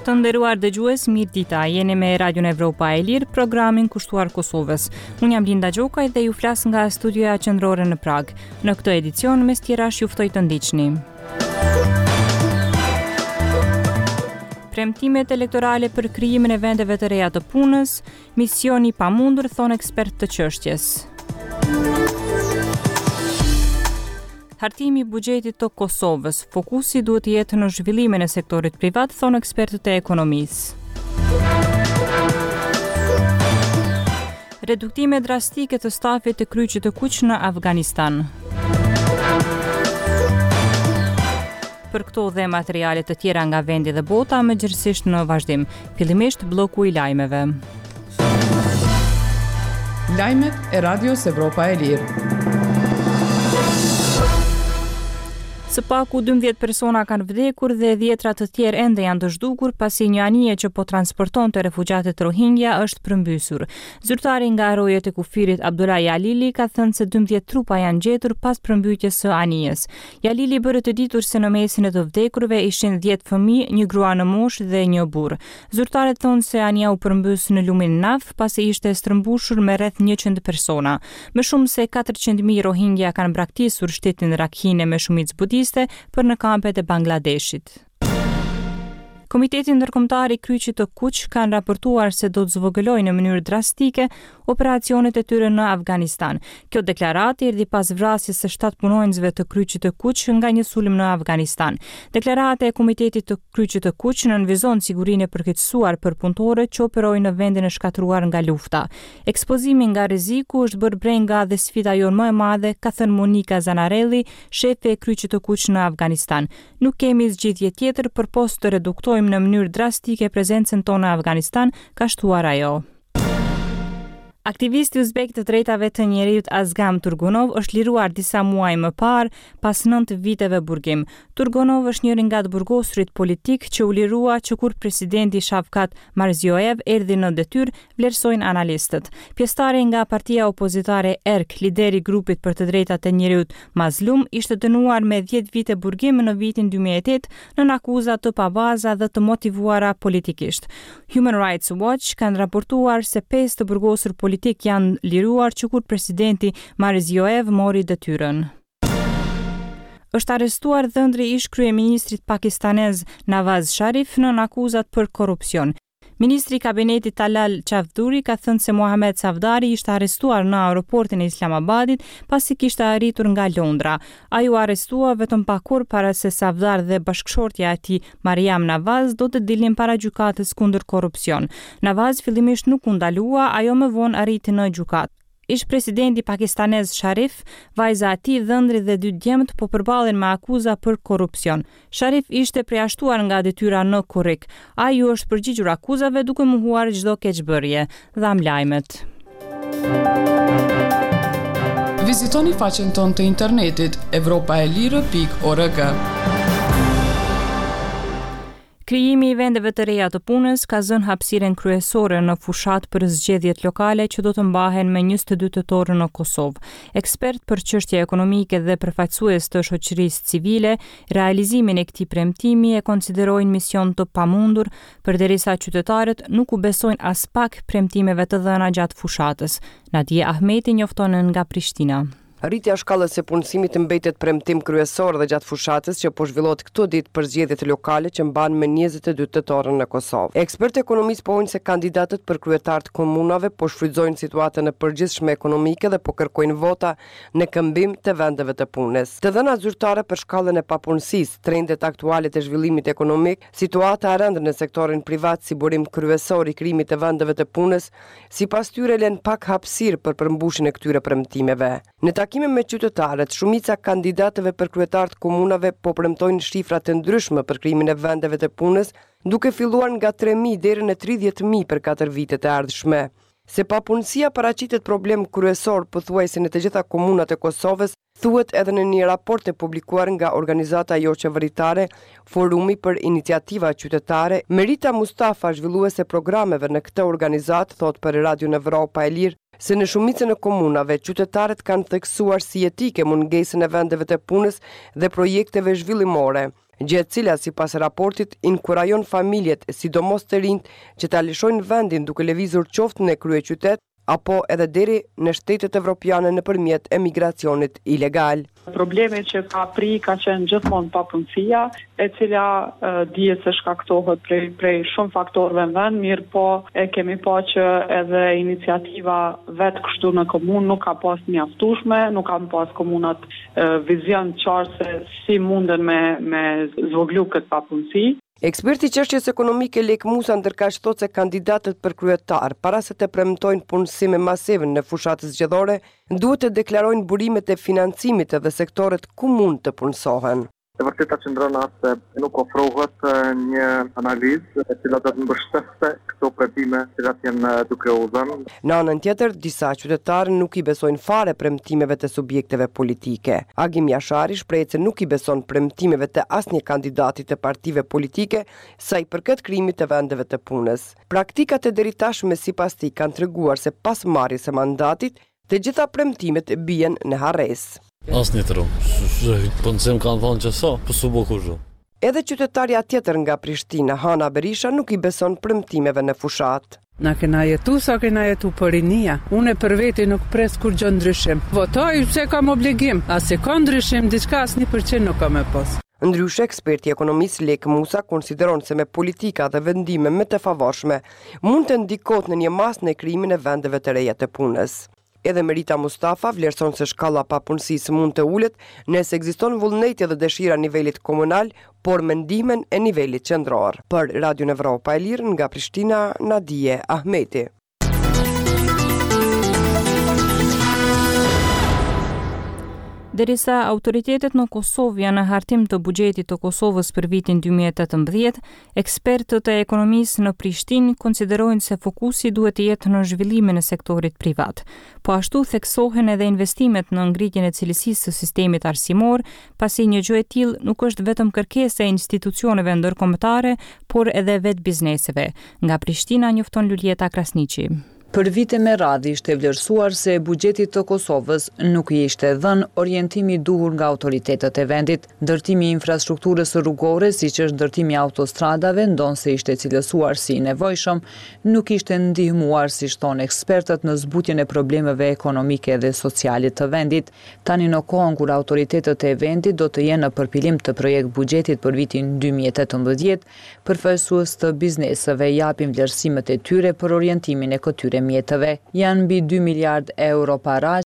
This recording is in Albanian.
Të nderuar dëgjues, mirëdita. Jeni me Radion Evropa e Lirë, programin kushtuar Kosovës. Unë jam Linda Gjokaj dhe ju flas nga studioja qendrore në Pragë. Në këtë edicion, mes tjerash ju ftoj të ndiqni. Premtimet elektorale për krijimin e vendeve të reja të punës, Mision i pamundur, thonë ekspertë të çështjes. Hartimi i buxhetit të Kosovës, fokusi duhet të jetë në zhvillimin e sektorit privat, thonë ekspertët e ekonomisë. Reduktime drastike të stafit të Kryqit të Kuq në Afganistan. Për këto dhe materiale të tjera nga vendi dhe bota, më gjerësisht në vazhdim. Fillimisht blloku i lajmeve. Lajmet e Radios Evropa e Lirë. Së paku 12 persona kanë vdekur dhe dhjetra të tjerë ende janë të zhdukur pasi një anije që po transportonte refugjatët Rohingya është përmbysur. Zyrtari nga rojet e kufirit Abdullah Jalili ka thënë se 12 trupa janë gjetur pas përmbytjes së anijes. Jalili bëri të ditur se në mesin e të vdekurve ishin 10 fëmijë, një grua në moshë dhe një burrë. Zyrtarët thonë se anija u përmbys në lumin Naf pasi ishte stërmbushur me rreth 100 persona. Më shumë se 400.000 Rohingya kanë braktisur shtetin Rakhine me shumicë budiste për në kampet e Bangladeshit. Komiteti Ndërkombëtar i Kryqit të Kuq kanë raportuar se do të zvogëlojë në mënyrë drastike operacionet e tyre në Afganistan. Kjo deklaratë erdhi pas vrasjes së 7 punonjësve të Kryqit të Kuq nga një sulm në Afganistan. Deklarata e Komitetit të Kryqit të Kuq nënvizon sigurinë e përkeqësuar për punëtorët që operojnë në vendin e shkatërruar nga lufta. Ekspozimi nga rreziku është bërë brenga dhe sfida jonë më e madhe, ka thënë Monika Zanarelli, shefe e Kryqit të Kuq në Afganistan. Nuk kemi zgjidhje tjetër përpos të reduktojmë në mënyrë drastike prezencën tonë në Afganistan, ka shtuar ajo. Aktivisti uzbek i të drejtave të njeriut Azgam Turgunov është liruar disa muaj më parë, pas 9 viteve burgim. Turgunov është njëri nga të burgosurit politikë që u lirua që kur presidenti Shavkat Mirziyoyev erdhi në detyrë, vlerësojnë analistët. Pjesëtari nga partia opozitare Erk, lideri i grupit për të drejtat e njeriut Mazlum, ishte dënuar me 10 vite burgim në vitin 2008 nën akuza të pabaza dhe të motivuara politikisht. Human Rights Watch kanë raportuar se 5 të burgosur politikë janë liruar që kur presidenti Mirziyoyev mori detyrën. Është arrestuar dhëndri i ish-kryeministrit pakistanez Nawaz Sharif nën akuzat për korrupsion. Ministri i kabinetit Talal Chaudhry ka thënë se Mohamed Safdari ishte arrestuar në aeroportin e Islamabadit pasi kishte arritur nga Londra. Ai u arrestua vetëm pak orë para se Safdar dhe bashkëshortja e tij Mariam Nawaz do të dilnin para gjykatës kundër korrupsion. Nawaz fillimisht nuk u ndalua, ajo më vonë arriti në gjykatë. Ish-presidenti pakistanez Sharif, vajza e tij, dhëndri dhe dy djemtë po përballen me akuza për korrupsion. Sharif ishte përjashtuar nga detyra në korrik. Ai u është përgjigjur akuzave duke mohuar çdo keqbërje. Dhamë lajmet. Vizitoni faqen tonë të internetit evropaelire.org. Krijimi i vendeve të reja të punës ka zënë hapësirën kryesore në fushatë për zgjedhjet lokale që do të mbahen më 22 tetor në Kosovë. Ekspertë për çështje ekonomike dhe përfaqësues të shoqërisë civile, realizimin e këtij premtimi e konsiderojnë mision të pamundur, përderisa qytetarët nuk u besojnë aspak premtimeve të dhëna gjatë fushatës. Nadie Ahmeti njofton nga Prishtina. Rritja e shkallës së punësimit mbetet premtim kryesor dhe gjatë fushatës që po zhvillohet këto ditë për zgjedhjet lokale që mbahen më 22 tetor në Kosovë. Ekspertë të ekonomisë pohojnë se kandidatët për kryetarë të komunave po shfrytëzojnë situatën e përgjithshme ekonomike dhe po kërkojnë vota në këmbim të vendeve të punës. Të dhënat zyrtare për shkallën e papunësisë, trendet aktuale të zhvillimit ekonomik, situata e rëndë në sektorin privat si burim kryesor i krijimit të vendeve të punës, sipas tyre lënë pak hapësirë për përmbushjen e këtyre premtimeve. Në takime me qytetarët, shumica e kandidatëve për kryetarë të komunave po premtojnë shifra të ndryshme për krijimin e vendeve të punës, duke filluar nga 3.000 deri në 30.000 për katër vitet e ardhshme. Se papunësia paraqitet problem kryesor pothuajse në të gjitha komunat e Kosovës, thuhet edhe në një raport të publikuar nga organizata joqeveritare Forumi për Iniciativa Qytetare. Merita Mustafa, zhvilluese e programeve në këtë organizatë, thotë për Radion Evropa e Lirë se në shumicën e komunave qytetarët kanë theksuar si jetike mungesën e vendeve të punës dhe projekteve zhvillimore. gjë e cila sipas raportit inkurajon familjet, sidomos të rinjtë, që ta lëshojnë vendin duke lëvizur qoftë në kryeqytet apo edhe deri në shtetet evropiane nëpërmjet emigracionit ilegal. Problemi që ka pri ka qenë gjithmonë papunësia, e cila dihet se shkaktohet prej prej shumë faktorëve në vend, mirëpo e kemi pa që edhe iniciativa vetë kështu në komunë nuk ka pas mjaftueshme, nuk kanë pas komunat vizion të qartë se si munden me me zvoglu këtë papunësi. Eksperti i çështjes ekonomike Lekë Musa ndërkaq thotë se kandidatët për kryetar, para se të premtojnë punësim masiv në fushatë zgjedhore, duhet të deklarojnë burimet e financimit dhe sektorët ku mund të punësohen. E vërteta qëndron atë se nuk ofrohet një analizë e cila do të mbështeste këto premtime të cilat janë duke u dhënë. Në anën tjetër, disa qytetarë nuk i besojnë fare premtimeve të subjekteve politike. Agim Jashari shprehet se nuk i beson premtimeve të asnjë kandidati të partive politike sa i përket krijimit të vendeve të punës. Praktikat e deritashme sipas tij kanë treguar se pas marrjes së mandatit, Të gjitha premtimet bien në harresë. Asnjë tru. Punësim kanë thonë që sa, po s'u bo kurgjo. Edhe qytetarja tjetër nga Prishtina, Hana Berisha nuk i beson premtimeve në fushatë. Na kena jetu sa kena jetu po rinia. Une për veti nuk pres kurgjo ndryshim. Votoj pse kam obligim. A se ka ndryshim diçka as 1% nuk ka me pas. Ndryshe, eksperti i ekonomisë Lekë Musa konsideron se me politika dhe vendime më të favorshme mund të ndikohet në një masë në krijimin e vendeve të reja të punës. Edhe Merita Mustafa vlerëson se shkalla e papunësisë mund të ulet nëse ekziston vullneti dhe dëshira e nivelit komunal, por me ndihmën e nivelit qendror. Për Radion Evropa e Lirë nga Prishtina, Nadije Ahmeti. Derisa autoritetet në Kosovë janë në hartim të buxhetit të Kosovës për vitin 2018, ekspertët e ekonomisë në Prishtinë konsiderojnë se fokusi duhet të jetë në zhvillimin e sektorit privat. Po ashtu theksohen edhe investimet në ngritjen e cilësisë së sistemit arsimor, pasi një gjë e tillë nuk është vetëm kërkesë e institucioneve ndërkombëtare, por edhe vetë bizneseve. Nga Prishtina njofton Luljeta Krasniqi. Për vite me radhë ishte vlerësuar se buxhetit të Kosovës nuk i ishte dhënë orientimi i duhur nga autoritetet e vendit. Ndërtimi i infrastrukturës rrugore, siç është ndërtimi i autostradave, ndonëse ishte cilësuar si i nevojshëm, nuk ishte ndihmuar, siç thonë ekspertët, në zbutjen e problemeve ekonomike dhe sociale të vendit. Tani në kohën kur autoritetet e vendit do të jenë në përpilim të projekt-buxhetit për vitin 2018, Përfaqësues të bizneseve japin vlerësimet e tyre për orientimin e këtyre mjeteve. Janë mbi dy miliardë euro para.